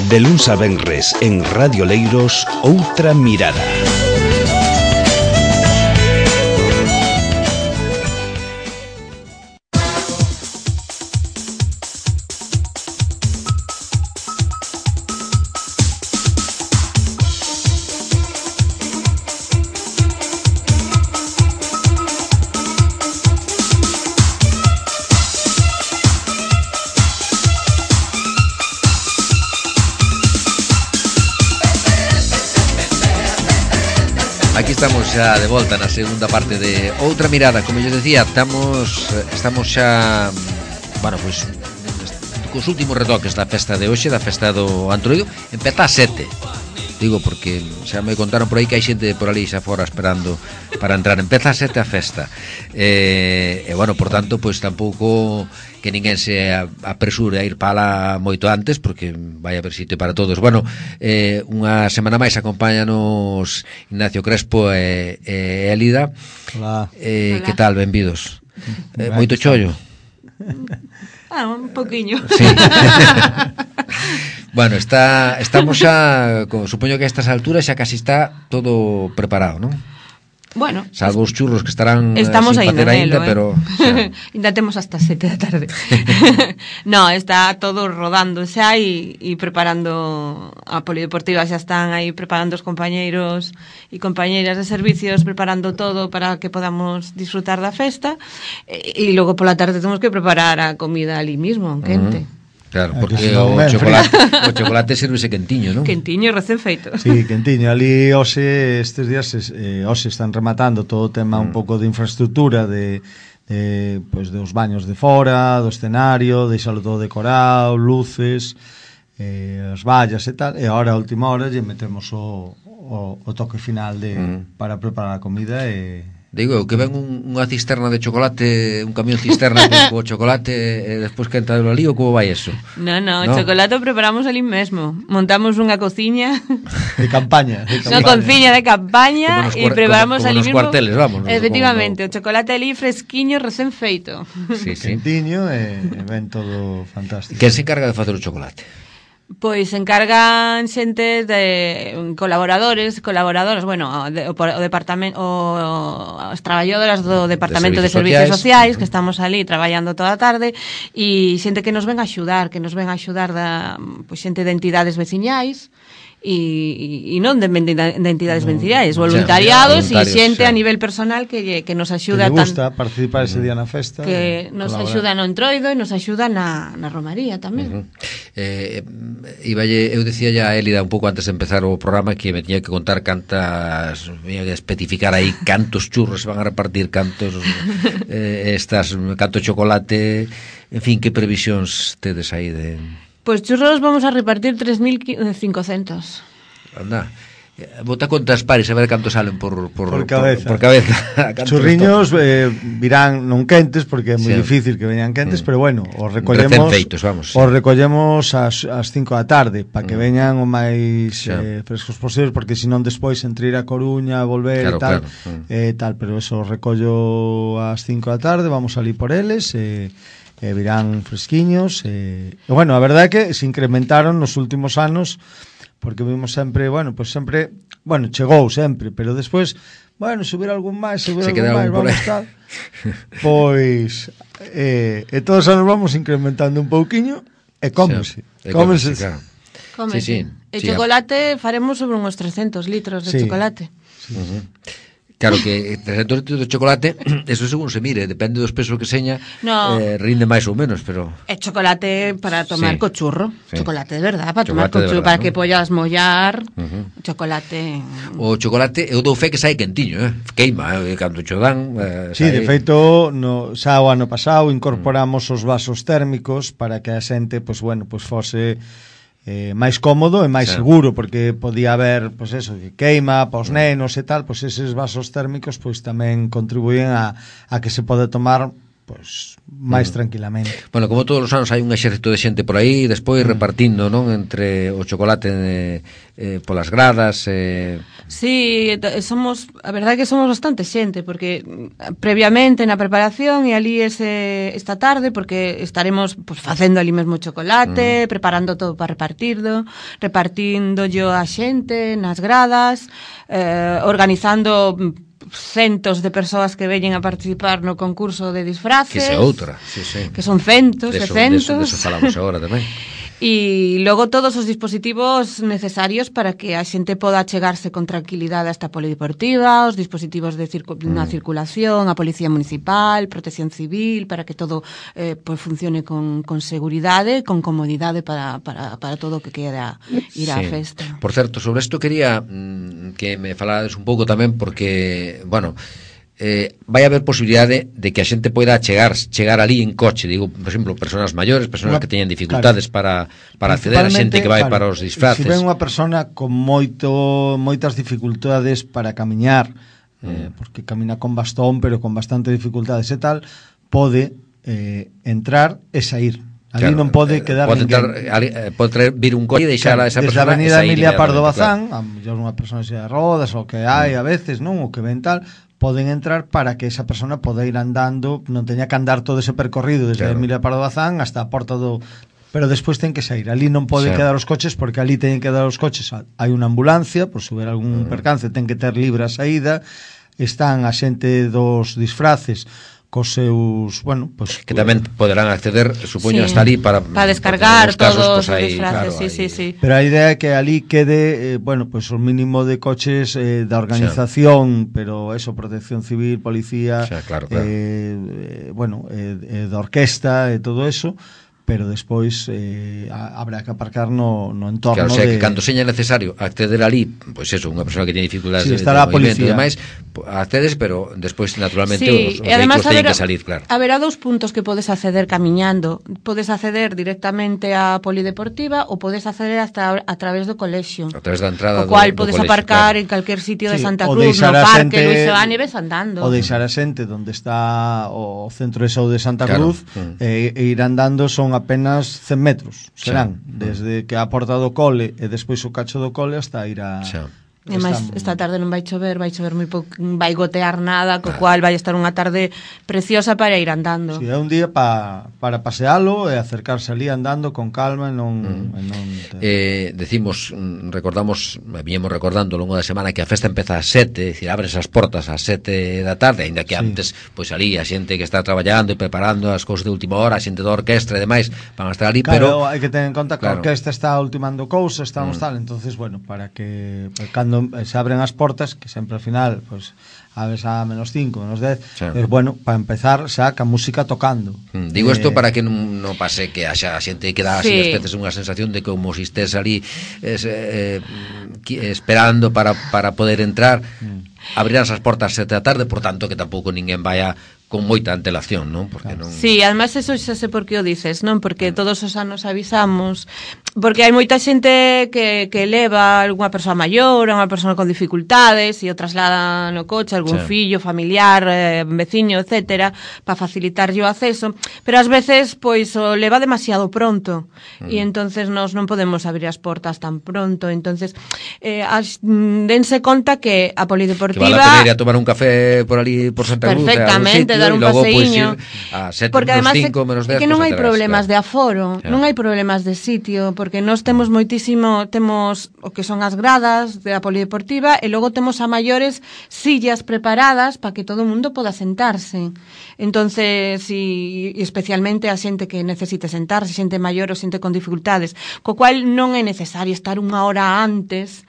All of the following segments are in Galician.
De luns a venres en Radio Leiros, Outra Mirada. Aquí estamos xa de volta na segunda parte de Outra Mirada. Como yo decía, estamos xa, bueno, pois cos últimos retoques da festa de hoxe, da festa do Antroido. Empeza a 7. Digo porque xa me contaron por aí que hai xente por ali xa fora esperando para entrar. Empeza a 7 a festa. Bueno, por tanto, pois tampouco que ninguén se apresure a ir para lá moito antes, porque vai haber sitio para todos. Bueno, unha semana máis acompáñanos Ignacio Crespo e Élida. Hola. Que tal, benvidos? Moito chollo? Un poquinho. Sí. Bueno, estamos xa, supoño que a estas alturas xa casi está todo preparado, non? Bueno, salvo os churros que estarán estamos sin facer aínda, pero ainda temos hasta 7 da tarde. No, está todo rodando xa e preparando a polideportiva, xa están aí preparando os compañeiros e compañeiras de servicios, preparando todo para que podamos disfrutar da festa, e logo pola tarde temos que preparar a comida ali mismo, en quente. Claro, porque o chocolate sírvese quentiño, non? Quentiño, recén feito. Sí, quentiño. Ali hoxe, estes días, hoxe están rematando todo o tema un pouco de infraestructura, pois dos baños de fora, do escenario, deixalo todo decorado, luces, as vallas e tal, e agora a última hora lle metemos o toque final para preparar a comida e... Digo, que ven unha cisterna de chocolate, un camión cisterna con chocolate e despois que entra ali, ou como vai eso? No, o chocolate o preparamos ali mesmo. Montamos unha cociña de campaña. Unha cociña de campaña e preparamos ali mesmo. Como nos cuarteles, vamos. Efectivamente, o chocolate ali fresquiño, recén feito. Sí. Quentiño e ven todo fantástico. Quen se encarga de facer o chocolate? Pois encargan xente de colaboradoras, bueno, o departamento, as traballadoras do Departamento de Servicios Sociais, que estamos ali traballando toda a tarde, e xente que nos ven a axudar, pois xente de entidades veciñais, e non de entidades veciñais, voluntariados e xente a nivel personal que nos axuda, que lle gusta participar ese día na festa, que nos axuda no Entroido e nos axuda na Romaría tamén. Eu decía ya a Élida un pouco antes de empezar o programa que me tiña que contar tiña que especificar aí cantos churros se van a repartir, canto chocolate, en fin, que previsións tedes aí de... Pois churros vamos a repartir 3.500. Anda, bota contas pares a ver cantos salen por cabeza. Churriños virán non quentes, porque é moi difícil que veñan quentes, pero bueno, os recollemos feitos, vamos. Os recollemos ás 5 da tarde para que veñan o máis frescos posibles, porque senón despois entre ir a Coruña, volver e tal, pero eso os recollo ás 5 da tarde, vamos ali por eles virán fresquiños bueno, a verdade é que se incrementaron nos últimos anos, porque vimos sempre, chegou sempre, pero despois, subir algún máis, vamos tal. Pois todos os anos vamos incrementando un pouquiño e cómese. Claro. Sí. E chocolate faremos sobre uns 300 litros de chocolate. Claro que 300 litros de chocolate, eso según se mire, depende dos pesos que seña, rinde máis ou menos, pero... É chocolate para tomar co churro, chocolate de verdad, para tomar co churro, para que pollas mollar, chocolate... O chocolate, eu dou fe que sai quentiño, queima, cando cho dan... Sí, de feito, xa o ano pasado incorporamos os vasos térmicos para que a xente, fose... máis cómodo e máis seguro, porque podía haber, que queima para os nenos e tal, eses vasos térmicos tamén contribuyen a que se pode tomar pois máis tranquilamente. Bueno, como todos os anos hai un exército de xente por aí, despois repartindo, non, entre o chocolate polas gradas. Sí, a verdade é que somos bastante xente, porque previamente na preparación e ali esta tarde, porque estaremos pues, facendo ali mesmo chocolate, preparando todo para repartindo yo a xente nas gradas, organizando centos de persoas que veñen a participar no concurso de disfraces. Que é outra, sí. Que son centos e centos. De eso falamos agora tamén. E logo todos os dispositivos necesarios para que a xente poda chegarse con tranquilidade a esta polideportiva, os dispositivos na circulación, a Policía Municipal, Protección Civil, para que todo pues funcione con seguridade, con comodidade para todo o que queda ir á festa. Por certo, sobre isto quería que me falades un pouco tamén, porque, bueno, vai haber posibilidade de que a xente poida chegar ali en coche, digo, por exemplo, persoas maiores, persoas que teñen dificultades para acceder, a xente que vai para os disfraces. Se ven unha persona con moitas dificultades para camiñar, porque camina con bastón, pero con bastante dificultades e tal, pode entrar e sair. Ali non pode quedar ninguén. Pode vir un coche e deixar a esa persona. Desde a Avenida Emilia Pardo Bazán, a mellor unha persona xe de rodas, o que hai a veces, non, o que ven tal, poden entrar para que esa persona poda ir andando, non teña que andar todo ese percorrido desde Emilia Pardo Bazán hasta a porta do... Pero despois ten que sair. Ali non pode quedar os coches, porque ali teñen que dar os coches. Hai unha ambulancia, por se houber algún percance, ten que ter libre a saída. Están a xente dos disfraces cos seus, bueno, pues, que tamén poderán acceder, supoño, hasta ali para descargar todos os disfraces, claro, sí. Pero a idea é que ali quede, bueno, pues o mínimo de coches da organización, pero eso, Protección Civil, Policía, claro. Bueno, da orquesta e todo eso, pero despois habrá que aparcar no entorno. Claro, o sea, que cando seña necesario acceder ali, pois eso, unha persona que tiene dificultades de movimento e demais, accedes, pero despois naturalmente os vehículos teñen que salir, claro. Haberá dous puntos que podes acceder camiñando. Podes acceder directamente á polideportiva ou podes acceder hasta a través do colexio. A través da entrada do cual podes aparcar en calquer sitio de Santa Cruz, no parque Luis Sebane, ves andando. O deixar a xente onde está o centro de saúde de Santa Cruz e ir andando son apenas 100 metros, serán, desde que a porta do cole e despois o cacho do cole hasta ir a... E máis, esta tarde non vai chover moi pouco, vai gotear nada, co cual vai estar unha tarde preciosa para ir andando. Si, é un día para pasealo e acercarse ali andando con calma e non... recordamos, viñemos recordando ao longo da semana que a festa empeza ás 7, dicir, abres as portas ás 7 da tarde, ainda que antes, pois ali a xente que está traballando e preparando as cousas de última hora, a xente da orquestra e demais, van a estar ali, pero hai que tener en conta que a orquestra está ultimando cousas, estamos tal, entonces, bueno, para que cando se abren as portas, que sempre ao final pues, abres a menos 5, menos 10 bueno, para empezar xa ca música tocando. Digo isto para que non pase que haxa a xente que dá así as veces unha sensación de como si estés ali esperando para poder entrar. Abrirán as portas 7 da tarde, por tanto que tampouco ninguén vaya con moita antelación, non? Porque non... Sí, además eso xa sei por que o dices, non? Porque todos os anos avisamos, porque hai moita xente que leva algunha persoa maior, unha persoa con dificultades e o traslada no coche, algún fillo, familiar, veciño, etcétera, para facilitarlle o acceso, pero ás veces pois o leva demasiado pronto e entonces nós non podemos abrir as portas tan pronto, entonces dense conta que a polideportiva que vale a pena ir a tomar un café por ali por Santa Cruz, perfectamente, dar un paseiño, a 7 porque menos además 5 menos 10, que non hai problemas de aforo, non hai problemas de sitio, porque nós temos temos o que son as gradas da polideportiva e logo temos a maiores sillas preparadas para que todo o mundo poda sentarse. Entonces, e especialmente a xente que necesite sentarse, xente maior ou xente con dificultades, co cual non é necesario estar unha hora antes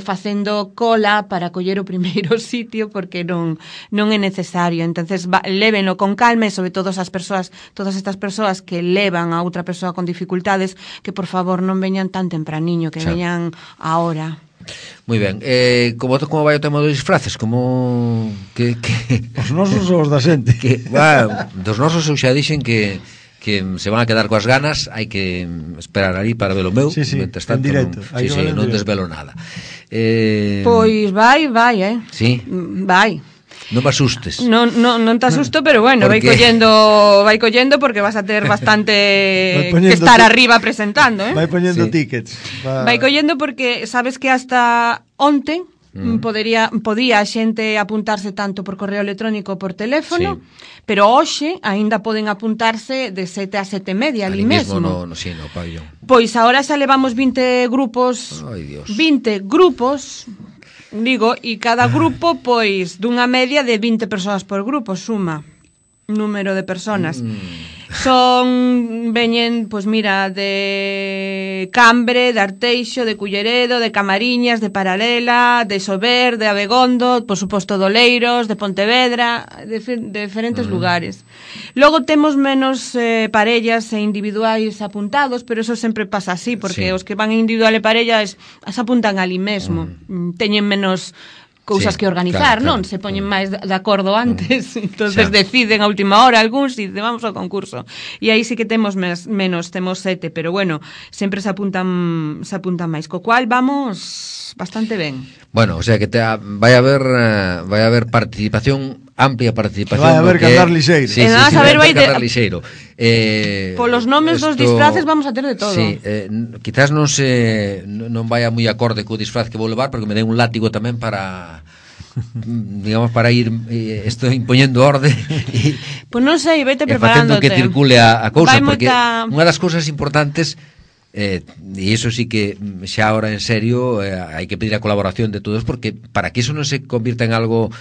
facendo cola para coller o primeiro sitio, porque non é necesario. Entonces, léveno con calma e sobre todo todas estas persoas que levan a outra persoa con dificultades, que por favor non veñan tan tempraniño, que veñan a hora. Moi ben, como vai o tema dos disfraces? Como que os nosos ou os da xente? Dos nosos eu xa dixen que se van a quedar coas ganas, hai que esperar ali para ver o meu, mentres tanto non desvelo nada. Pois vai, Sí? Vai. Non me asustes. Non te asusto, pero bueno, vai collendo porque vas a ter bastante que estar arriba presentando, Vai poñendo tickets. Vai collendo porque sabes que hasta onte podía a xente apuntarse tanto por correo electrónico por teléfono, pero hoxe aínda poden apuntarse de 7 a 7:30 ali mesmo. No pabellón. Pois agora xa levamos 20 grupos, 20 grupos, digo, e cada grupo pois dunha media de 20 persoas por grupo, suma número de personas. Veñen, pois mira, de Cambre, de Arteixo, de Culleredo, de Camariñas, de Paralela, de Sober, de Abegondo, por suposto de Oleiros, de Pontevedra, de diferentes lugares. Logo temos menos parellas e individuais apuntados, pero eso sempre pasa así, porque os que van individual e parellas as apuntan ali mesmo. Teñen menos cousas que organizar, non? Se poñen máis de acordo antes, entonces deciden a última hora algúns e vamos ao concurso. E aí sí que temos menos, temos 7, pero bueno, sempre se apuntan máis, co cual vamos bastante ben. Bueno, o sea que vai a haber participación, amplia participación. Vai a haber cantar lixeiro. Sí, vai cantar lixeiro. Polos nomes dos disfraces vamos a ter de todo. Sí, quizás non vai a moi acorde co disfraz que vou levar, porque me dei un látigo tamén para digamos, para ir impoñendo orde. Pois non sei, vete preparándote. Facendo que circule a cousa, porque unha das cousas importantes, e iso sí que xa ahora en serio hai que pedir a colaboración de todos, porque para que iso non se convirta en algo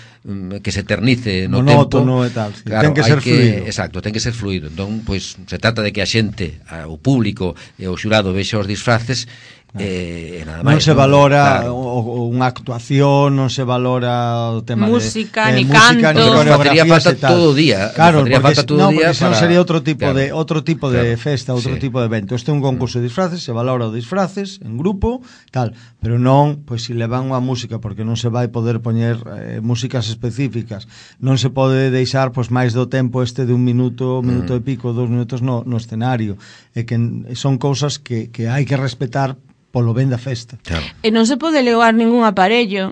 que se eternice no monótono tempo, e tal, claro, ten que ser fluido. Exacto, ten que ser fluido. Entón, pois se trata de que a xente, o público e o xurado vexa os disfraces. Nada máis, non se valora unha actuación, non se valora o tema música, de ni canto, ni coreografía, falta todo o día. Claro, porque senón sería outro tipo de festa, outro tipo de evento. Este é un concurso de disfraces, se valora os disfraces en grupo, tal, pero non, pois se levan unha música, porque non se vai poder poñer músicas específicas, non se pode deixar pois máis do tempo de un minuto e pico, 2 minutos no escenario, e que son cousas que hai que respetar polo ben da festa. Claro. E non se pode levar ningún aparello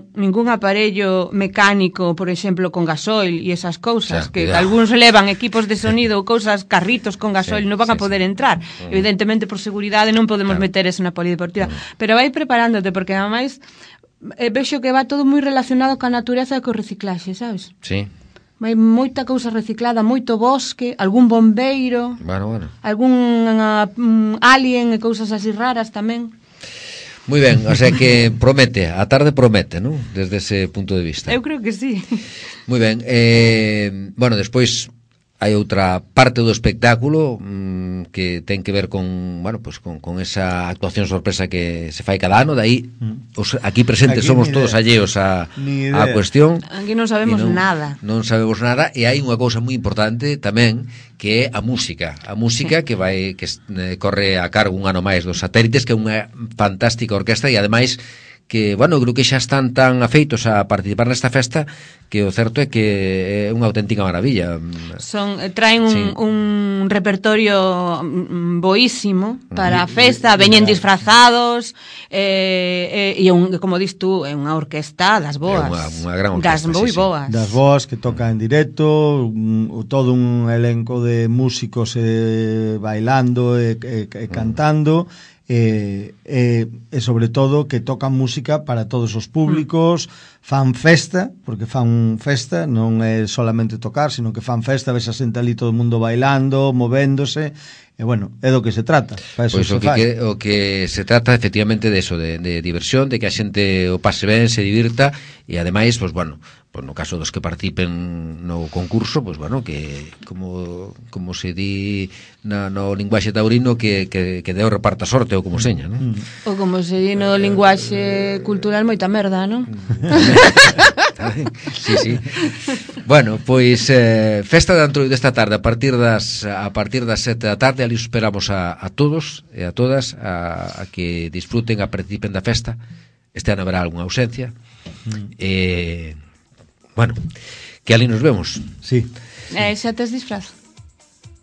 mecánico, por exemplo, con gasoil e esas cousas, que algúns levan equipos de sonido ou cousas, carritos con gasoil, non van a poder entrar. Evidentemente, por seguridade, non podemos meter eso na polideportiva. Pero vai preparándote, porque ademais vexo que va todo moi relacionado coa natureza e co reciclaxe, sabes? Sí. Vai moita cousa reciclada, moito bosque, algún bombeiro, algún alien e cousas así raras tamén. Moi ben, o sea que promete, a tarde promete, non? Desde ese punto de vista. Eu creo que sí. Moi ben, bueno, despois hai outra parte do espectáculo que ten que ver con, bueno, pues con esa actuación sorpresa que se fai cada ano, dai aquí presentes somos todos alleos a cuestión. Aquí non sabemos nada. Non sabemos nada, e hai unha cousa moi importante tamén, que é a música que corre a cargo un ano máis dos Satélites, que é unha fantástica orquestra, e ademais que, bueno, creo que xa están tan afeitos a participar nesta festa que o certo é que é unha auténtica maravilla. Traen un repertorio boísimo para a festa, veñen disfrazados, e como dis tú, é unha orquesta das boas. Unha gran orquesta, das moi boas. Das boas que toca en directo, todo un elenco de músicos bailando e cantando, e sobre todo que tocan música para todos os públicos, fan festa, porque fan festa, non é solamente tocar, sino que fan festa, ves a xente ali todo o mundo bailando, movéndose, e bueno, é do que se trata. Pois o que se trata efectivamente de eso, de diversión, de que a xente o pase ben, se divirta, e ademais, pois bueno, pues no caso dos que participen no concurso, pues bueno, que como se di no linguaxe taurino, que Deo reparta sorte, ou como seña, non? Ou como se di no linguaxe cultural, moita merda, non? Sí. Bueno, pois festa de Antroido esta tarde a partir das 7 da tarde, ali esperamos a todos e a todas a que disfruten, a participen da festa. Este ano haberá algunha ausencia. Bueno, que ali nos vemos. Sí. Xa tes disfraz?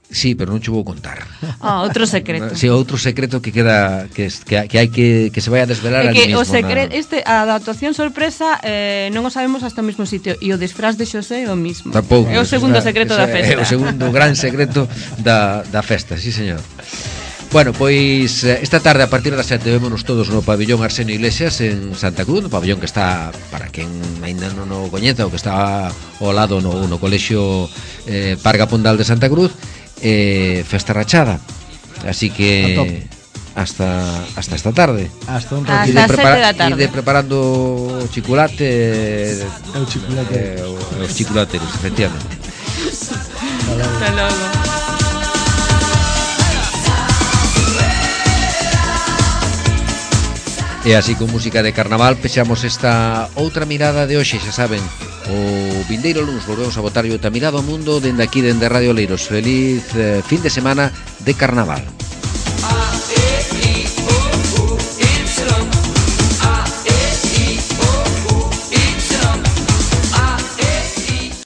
Sí, pero non che vou contar. Outro secreto. Sí, outro secreto que queda que hai que se vai a desvelar ali mismo. O secreto, a actuación sorpresa non o sabemos hasta o mismo sitio e o disfraz de Xosé é o mismo. Tampouco. É o segundo secreto da festa. É o segundo gran secreto da festa, sí, señor. Bueno, pois esta tarde a partir das 7 vémonos todos no pabillón Arsenio Iglesias en Santa Cruz, no pabillón que está, para quen ainda non o coñeza, o que está ao lado no colexio Parga Pondal de Santa Cruz, festa rachada. Así que hasta esta tarde. Hasta un ratito. Hasta 7 da tarde. Ir preparando o chocolate, os chocolateros, efectivamente. Hasta logo. E así con música de carnaval pechamos esta outra mirada de hoxe, xa saben. O vindeiro luns volvemos a botar outra mirada ao mundo dende aquí, dende Radio Oleiros. Feliz fin de semana de carnaval.